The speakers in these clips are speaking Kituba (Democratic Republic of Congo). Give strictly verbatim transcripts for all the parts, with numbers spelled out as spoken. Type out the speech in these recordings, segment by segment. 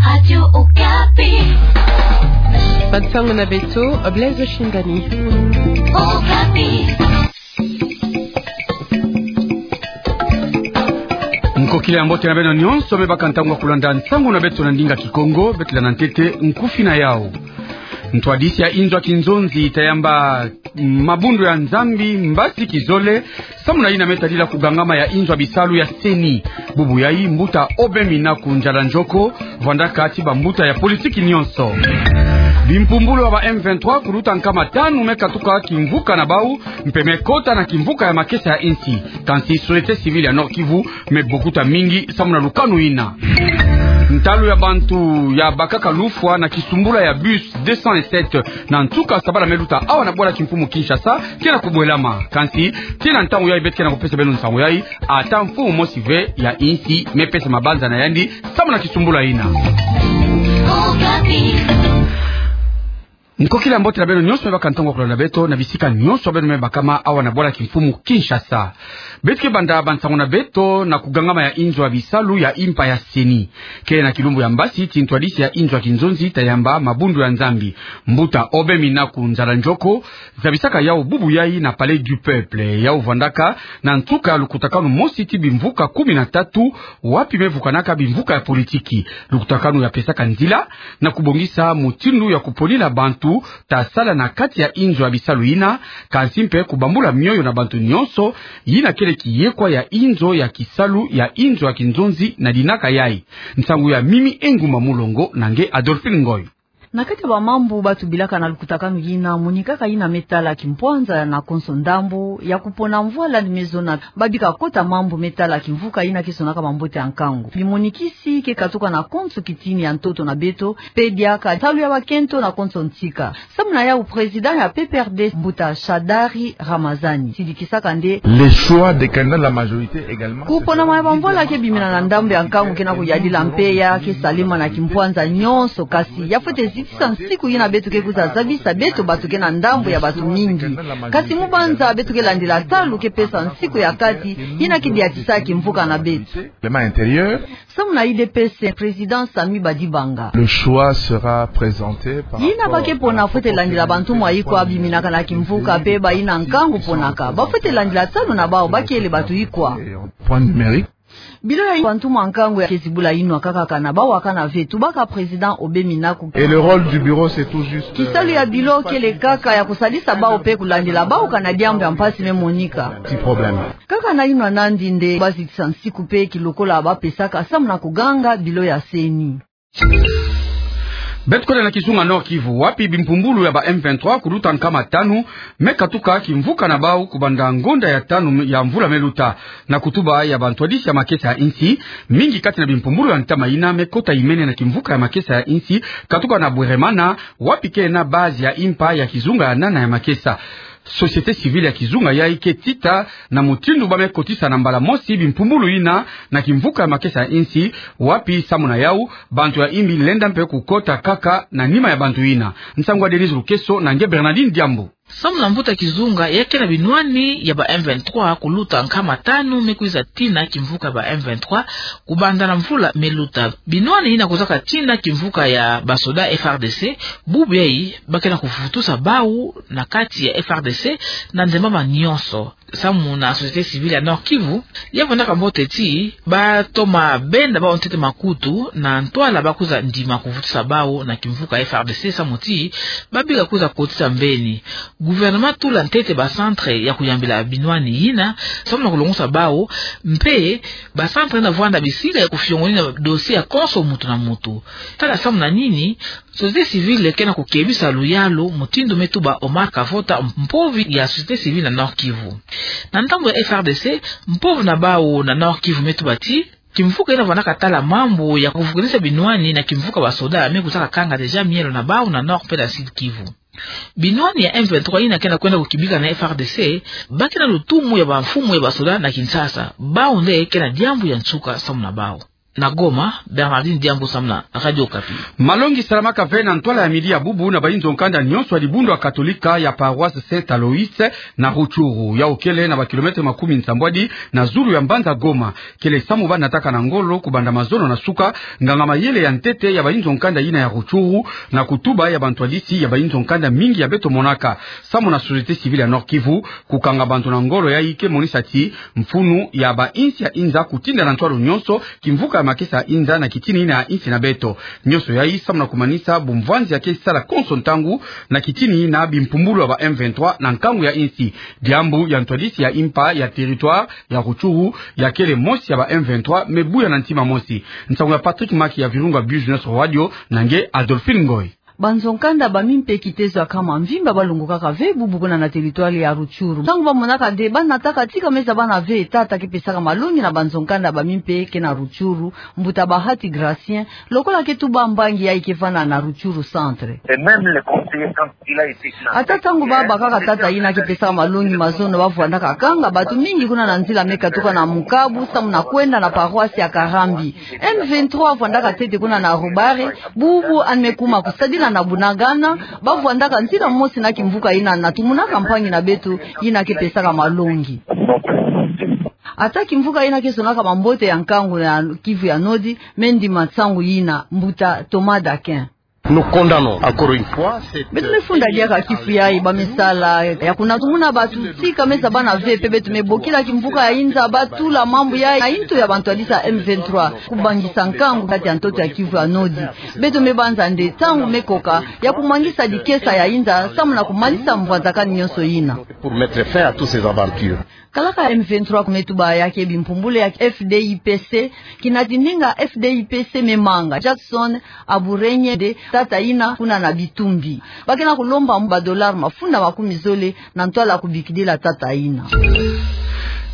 Radio Okapi. Bansango na beto, Blaise Shindani. Okapi. Nkokila ya mbote na beno nyonso me baka ntangu ya kulanda nsangu na beto na ndinga Kikongo, beto landa ntete nkufi na yau. Ntwadisi ya inzo ya kinzonzi tayamba mabundu ya Nzambi mbasi kizole, samu na yina me tadila kugangama ya inzo ya bisalu ya CENI. Bubu yayi mbuta Aubin Minaku Nzala Nzoko vwandaka ti bambuta ya politiki nyonso. Bimpumbulu ya ba M vingt-trois kuluta nkama tanu me katuka kimvuka na bau, mpe me kota na kimvuka ya makesa ya insi. Kansi société civile ya Nord-Kivu me bokuta mingi samu na lukanu yina. Ntalu ya bantu ya bakaka lufwa na kisumbula ya bus deux cent sept na nsuka sabala me luta awa na bwala kimfumu Kinshasa ke na kubwelama. Kansi, tii na ntangu yayi beto ke na kupesa beno nsangu yayi, ata mfumu mosi ve ya insi me pesa mabanza na yandi samu na kisumbula yina. Nkokila ya mbote na beno nyonso me baka ntangu ya kulanda beto na bisika nyonso beno me bakama awa na bwala kimfumu Kinshasa. Beto ke banda bansangu na beto na kugangama ya inzo ya bisalu ya impa ya CENI. Ke na kilumbu ya mbasi ti ntwadisi ya inzo ya kinzonzi tayamba mabundu ya Nzambi, mbuta Aubin Minaku Nzala Nzoko zabisaka yau bubu yayi na Palais du Peuple, yau vwandaka na nsuka ya lukutakanu mosi ti bimvuka kumi na tatu, wapi me vukanaka bimvuka ya politiki. Lukutakanu ya pesaka nzila na kubongisa mutindu ya kuponila bantu ta sala na kati ya inzo ya bisalu yina, kansi mpe kubambula mioyo na bantu nyonso, yina kele kiyekwa ya inzo ya kisalu ya inzo ya kinzonzi na dinaka yayi. Nsangu ya Mimi Engumba Mulongo na nge Adolphine Ngoy. Na kati ya bamambu ba tubilaka na lukutakanu yina, monikaka yina me tala kimpwanza na konso ndambu ya kupona mvwala ni me zona, ba bika kota mambu me tala kimvuka yina ke sonaka mambote ya nkangu. Bimonikisi ke katuka na konso kitini ya ntoto na beto, mpe diaka ntalu ya bakento na konso ntika. Samu na yau président ya P P R D, mbuta Shadary Ramazani, sidikisaka nde: Le choix des candidats de la majorité également. Kuponama ya bamvwala ke bimina na ndambu ya nkangu ke na kuyadila mpe ya ke salema na kimpwanza nyonso, kasi ya fwete zitisa nsiku yina beto ke kwiza zabisa beto bato ke na ndambu ya bato mingi. Kasi mubanza beto ke landila talu ke pesa nsiku ya kati yina ke diatisa kimvuka na beto. Règlement intérieur. Samu na U D P S, président Samy Badibanga. Le choix sera présenté par rapport à la proportionnalité. Yina ba ke pona fwete landila bantu mwa ikwa biminaka na kimvuka mpe bayina nkangu ponaka. Ba fwete landila talu na bau ba kele bato ikwa. Point numérique. Bilo ya bantu mwa nkangu ya ke zibula yinwa kaka kana bau akana ve, tubaka président Aubin Minaku. Et le rôle du bureau, c'est tout juste, euh, kisalu ya bilo kele kaka ya kusalisa bau mpe kulandila bau kana diambu ya mpasi me monika. Petit problème. Kaka na yinwa nandi nde ba zitisa nsiku mpe kilokola ba pesaka samu na kuganga bilo ya CENI. Beto kwenda na kizunga Nord-Kivu, wapi bimpumbulu ya ba M vingt-trois kuluta nkama tanu me katuka kimvuka na bau kubanda ngonda ya tanu ya mvula me luta. Na kutuba ya bantwadisi ya makesa ya insi, mingi kati na bimpumbulu ya ntama yina me kota imene na kimvuka ya makesa ya insi, katuka na Bweremana, wapi ke na base ya impa ya kizunga ya nana ya makesa. Société civile ya kizunga yayi ke tita na mutindu ba me kotisa na mbala mosi bimpumbulu yina na kimvuka ya makesa ya insi, wapi samu na yau bantu ya imbi lenda mpe kukota kaka na nima ya bantu yina. Nsangu ya Denise Lukeso na nge Bernardine Diambu. Samu na mbuta kizunga, ya ke na binwani ya ba M vingt-trois kuluta nkama tanu me kwiza tina kimvuka ya ba M vingt-trois kubanda na mvula me luta. Binwani yina kwizaka tina kimvuka ya basoda F R D C, bubu yayi ba ke na kuvutusa bau na kati ya F R D C na ndembama nyonso. Samu na société civile ya Nord-Kivu, ya vwandaka mbote ti ba toma benda bau ntete makutu na ntwala ba kwiza ndima kuvutusa bau na kimvuka F R D C, samu ti ba bika kwiza kotisa mbeni. Gouvernement tula ntete ba centre ya kuyambila binwani yina, samu na kulongosa bau, mpe ba centre yina vwanda bisika ya kufiongonina dossier ya konso muntu na muntu. Tala samu na nini société civile ke na kukebisa luyalu, mutindu me tuba Omar Kavota, mpovi ya société civile na Nord-Kivu. Na ndambu ya F R D C, mpovi na bau na Nord-Kivu me tuba ti kimvuka yina vwandaka tala mambu ya kuvukanisa binwani na kimvuka basoda me kwizaka kanga déjà mielo na bau na Nord mpe na Sud-Kivu. Binwani ya M vingt-trois yina ke na kwenda kukibika na F R D C, ba ke na lutumu ya bamfumu ya basoda na Kinshasa. Bau nde ke na diambu ya nsuka samu na bau. Na Goma, Bernardine Diambu samu na Radio Okapi. Malongi salamaka ve na ntwala ya midi ya bubu na bainzo nkanda nyonso ya dibundu ya Katolika ya paroisse Saint Aloïs na Rutshuru, yawu kele na ba kilomètre makumi nsambwadi na zulu ya mbanza Goma. Kele samu ba nataka na ngolo kubanda mazono na suka nganga-mayele ya ntete ya bainzo nkanda yina ya Rutshuru na kutuba ya bantwadisi ya bainzo nkanda mingi ya beto monaka. Samu na société civile ya Nord-Kivu, kukanga bantu na ngolo yayi ke monisa ti mfunu ya bainsi ya inza kutinda na ntwala nyonso kimvuka ya makesa ya inza na kitini yina ya insi na beto. Nyonso yayi samu na kumanisa bumvwanzi ya ke sala konso ntangu na kitini na bimpumbulu ya ba M vingt-trois na nkangu ya insi. Diambu ya ntwadisi ya impa ya territoire ya Rutshuru ya kele mosi ya ba M vingt-trois me buya na ntima mosi. Nsangu ya Patrick Maki ya Virunga Business Radio na nge Adolphine Ngoy. Banzo nkanda ba mimpe kitezo ya nkama mvimba ba longokaka ve bubu kuna na territoire ya Rutshuru. Ntangu ba monaka nde ba nataka tika meza bana ve tata ke pesaka malongi na banzo nkanda ba mimpe ke na Rutshuru, mbuta Bahati Gracien, lokola ke tuba mbangi yayi ke vanda na Rutshuru centre. Et même le conseiller, quand il a été là, ata ntangu ba bakaka tata yina ke pesaka malongi mazono, ba vwandaka kanga batu mingi kuna na nzila me katuka na Mukabu samu na kwenda na paroisse ya Karambi. M vingt-trois vwandaka ntete kuna na Rubare, bubu yandi me kuma kusadila na Bunagana, ba vwandaka nzila mosi na kimvuka yina na tumunaka mpangi na beto yina ke pesaka malongi. Ata kimvuka yina ke sonaka mambote ya nkangu ya Kivu ya Nord, me ndima nsangu yina, mbuta Thomas Daquin. Nous condamnons encore une fois cette... Beto me funda diaka kifu yayi ba me sala ya kunatumuna batu tika meza bana ve, mpe beto me bokila kimvuka ya inza ba tula mambu yayi na nto ya bantwadisi ya M vingt-trois kubangisa nkangu kati ya ntoto ya Kivu ya Nord. Beto me banza nde ntangu me koka ya kumangisa dikesa ya inza samu na kumanisa mvwanzakani nyonso yina. Pour mettre fin à toutes ces aventures. Kalaka M vingt-trois ku me tuba ya ke bimpumbulu ya F D I P C, kinati ndinga F D I P C me manga. Jackson Aburenye nde tata yina kuna na Bitumbi. Ba ke na kulomba ba dollars mafunda makumi zole na ntwala kubikidila tata yina.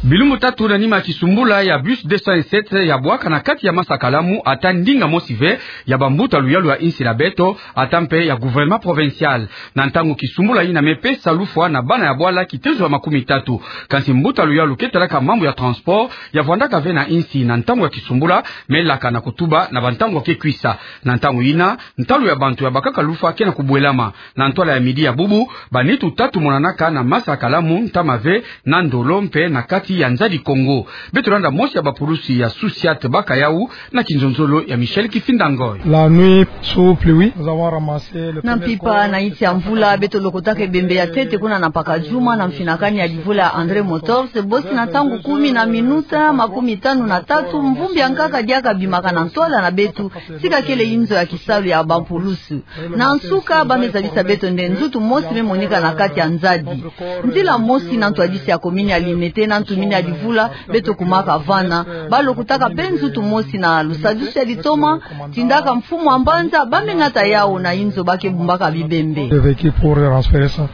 Bilumbu tatu na nima ya kisumbula ya bus deux cent sept ya bwaka na kati ya Masa Kalamu, ata ndinga mosi ve ya bambuta luyalu ya insi na beto, ata mpe ya gouvernement provincial. Na ntangu kisumbula yina me pesa lufwa na bana ya bwala kitezo ya makumi tatu. Kansi mbuta luyalu ke talaka mambu ya transport ya vwandaka ve na insi na ntangu ya kisumbula me laka na kutuba na bantangu ke kwisa. Na ntangu yina, ntalu ya bantu ya bakaka lufwa ke na kubwelama. Na ntwala ya midi ya bubu, ba nitu tatu monanaka na Masa Kalamu, ntama ve na Ndolo mpe na kati ya Nzadi Kongo. Beto landa mosi ya bapulusi ya SUSIAT baka yawu na kinzonzolo ya Michel Kifinda Ngoy. La nuit, sous pluie, nous avons ramassé le premier corps. Na mpimpa na insi ya mvula, beto lokotaka ebembe ya ntete kuna na Mpakadjuma na mfinakani ya livula ya André Motors, bosi na ntangu kumi na minuta makumi tanu na tatu, mvumbi ya nkaka diaka bimaka na ntwala na beto, tika kele inzo ya kisalu ya bapulusi. Na nsuka, ba me zabisa beto nde nzutu mosi me monika na kati ya Nzadi. Nzila mosi na ntwadisi ya komini ya Limete na ntumini ya livula, beto kumaka vana. Ba lokotaka mpe nzutu mosi na lusadusu ya litoma, tindaka mfumu ya mbanza, ba me nata yawu na inzo ba ke bumbaka bibembe. Des véhicules pour transférer ça.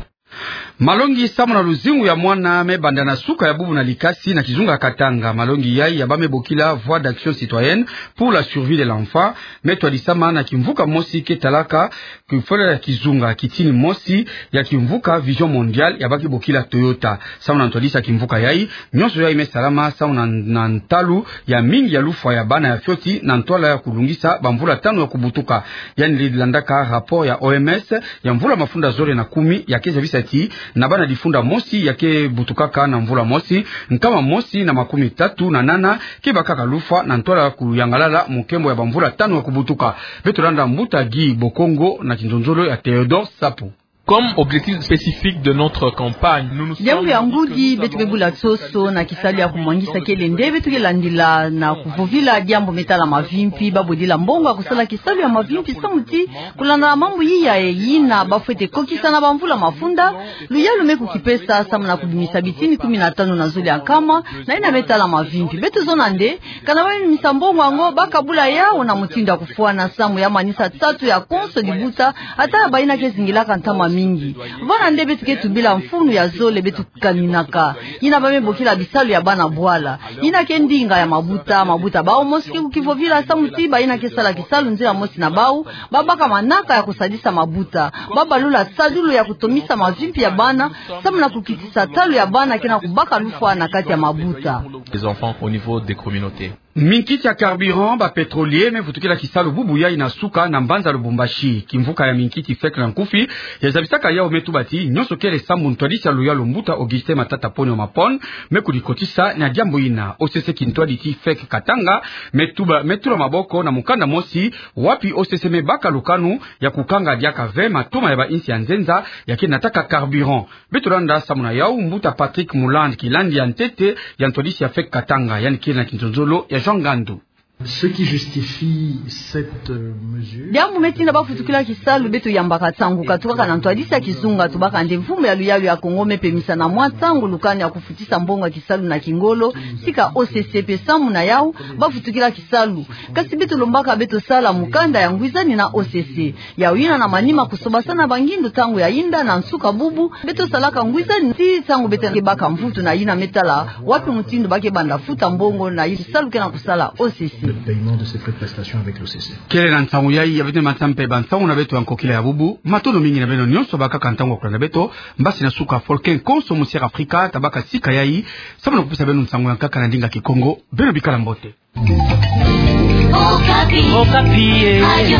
Malongi samu na luzingu ya mwana me banda na suka ya bubu na Likasi na kizunga Katanga. Malongi yayi ya ba me bokila Voix d'Action Citoyenne pour la Survie de l'Enfant me twadisama na kimvuka mosi ke talaka kifwele ya kizunga, kitini mosi ya kimvuka Vision Mondiale ya ba ke bokila Toyota. Samu na ntwadisi ya kimvuka yayi, nyonso yayi me salama samu na, na ntalu ya mingi ya lufwa ya bana ya fioti na ntwala ya kulungisa bamvula tanu ya kubutuka. Yandi landaka rapport ya O M S ya mvula mafunda zole na kumi ya ke zabisa ti na bana difunda mosi ya ke butukaka na mvula mosi, nkama mosi na makumi tatu na nana ke bakaka lufwa na ntwala ya kuyangalala mukembo ya bamvula tanu ya kubutuka. Beto landa mbuta Guy Bokongo na kinzonzolo ya Théodore Sapu. Comme objectif spécifique de notre campagne, nous nous sommes... Diambu ya ngudi, beto ke bula soso na kisalu ya kumwangisa kele nde beto ke landila na kuvovila diambu me tala mavimpi, ba bodila mbongo ya kusala kisalu ya mavimpi samu ti kulanda mambu yiya yina ba fwete kokisa na bamvula mafunda, luyalu me kukipesa samu na kubimisa bitini kumi na tanu na zole ya nkama na yina me tala mavimpi. Beto zona nde, kana ba me bimisa mbongo yango, ba kabula yawu na mutindu ya kufwana samu ya manisa tatu ya konso dibuta, ata ya bayina ke zingilaka ntama mingi. Vana nde beto ke tubila mfunu ya zole beto kaninaka. Yina ba me bokila bisalu ya bana bwala. Yina ke ndinga ya mabuta, mabuta bawu mosi ke kukivovila samu ti bayina ke sala kisalu nzila mosi na bawu, ba baka manaka ya kusadisa mabuta. Ba balula sadulu ya kutomisa mavimpi ya bana, samu na kukitisa ntalu ya bana ke na kubaka lufwa na kati ya mabuta. Les enfants au niveau des communautés. Minkiti ya carburant, ba pétroliers me vutukila kisalu bubu yayi na suka na mbanza Lubumbashi. Kimvuka ya minkiti FEC na nkufi yazabisaka yawu me tuba ti nyonso kele sambu ntwadisi ya luyalu mbuta Augustin Matata Ponyo Mapon me kudikotisa na diambu yina. O C C kintwadi ti FEC Katanga me tuba, me tula maboko na mukanda mosi wapi O C C me baka lukanu ya kukanga diaka ve matoma ya bainsi ya nzenza ya ke nataka carburant. Beto landa samu na yawu mbuta Patrick Muland, kilandi ya ntete ya ntwadisi ya FEC Katanga, yandi kele na kinzonzolo ya Jean Ngandu. Ce qui justifie cette, euh, mesure. Diambu me tinda bavutukila kisalu, beto yambaka nsangu katukaka na ntwadisi ya kizunga, tubaka nde mfumu ya luyalu ya Kongo me pemisa na mwa nsangu lukanu ya kufutisa mbongo ya kisalu na kingolo, tika O C C pe samu na yawu bavutukila kisalu. Kasi beto lombaka beto sala mukanda ya ngwizani na O C C. Yawu yina na manima kusobasana bangindu ntangu ya yinda na nsuka bubu, beto salaka ngwizani ti ntangu beto ke baka mvutu na yina me tala wapi mutindu ba ke banda futa mbongo na yina kisalu ke na kusala O C C. Le paiement de ces frais de prestation avec l'O C C. Kele na nsangu yayi ya beto matampe ba nsangu na beto ya nkokila ya bubu. Matondo mingi na beno nyonso bakaka ntangu ya kulanda beto. Mbasi na suka Volcan Konso Musière Africa tabaka sika yayi samu na kupesa beno nsangu ya nkaka na ndinga Kikongo. Beno bikala mbote. Okapi. Okapi, eh. Radio